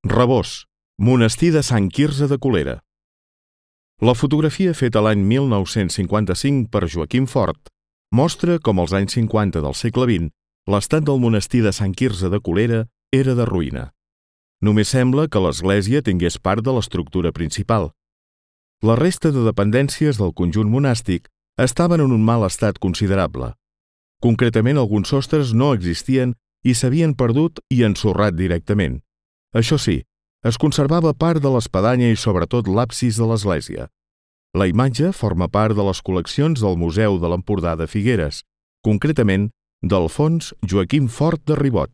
Rabós, monestir de Sant Quirze de Colera. La fotografia feta l'any 1955 per Joaquim Fort mostra com als anys 50 del segle XX l'estat del monestir de Sant Quirze de Colera era de ruïna. Només sembla que l'església tingués part de l'estructura principal. La resta de dependències del conjunt monàstic estaven en un mal estat considerable. Concretament, alguns sostres no existien i s'havien perdut i ensorrat directament. Això sí, es conservava part de l'espadanya i sobretot l'absis de l'església. La imatge forma part de les col·leccions del Museu de l'Empordà de Figueres, concretament d'Alfons Joaquim Fort de Ribot.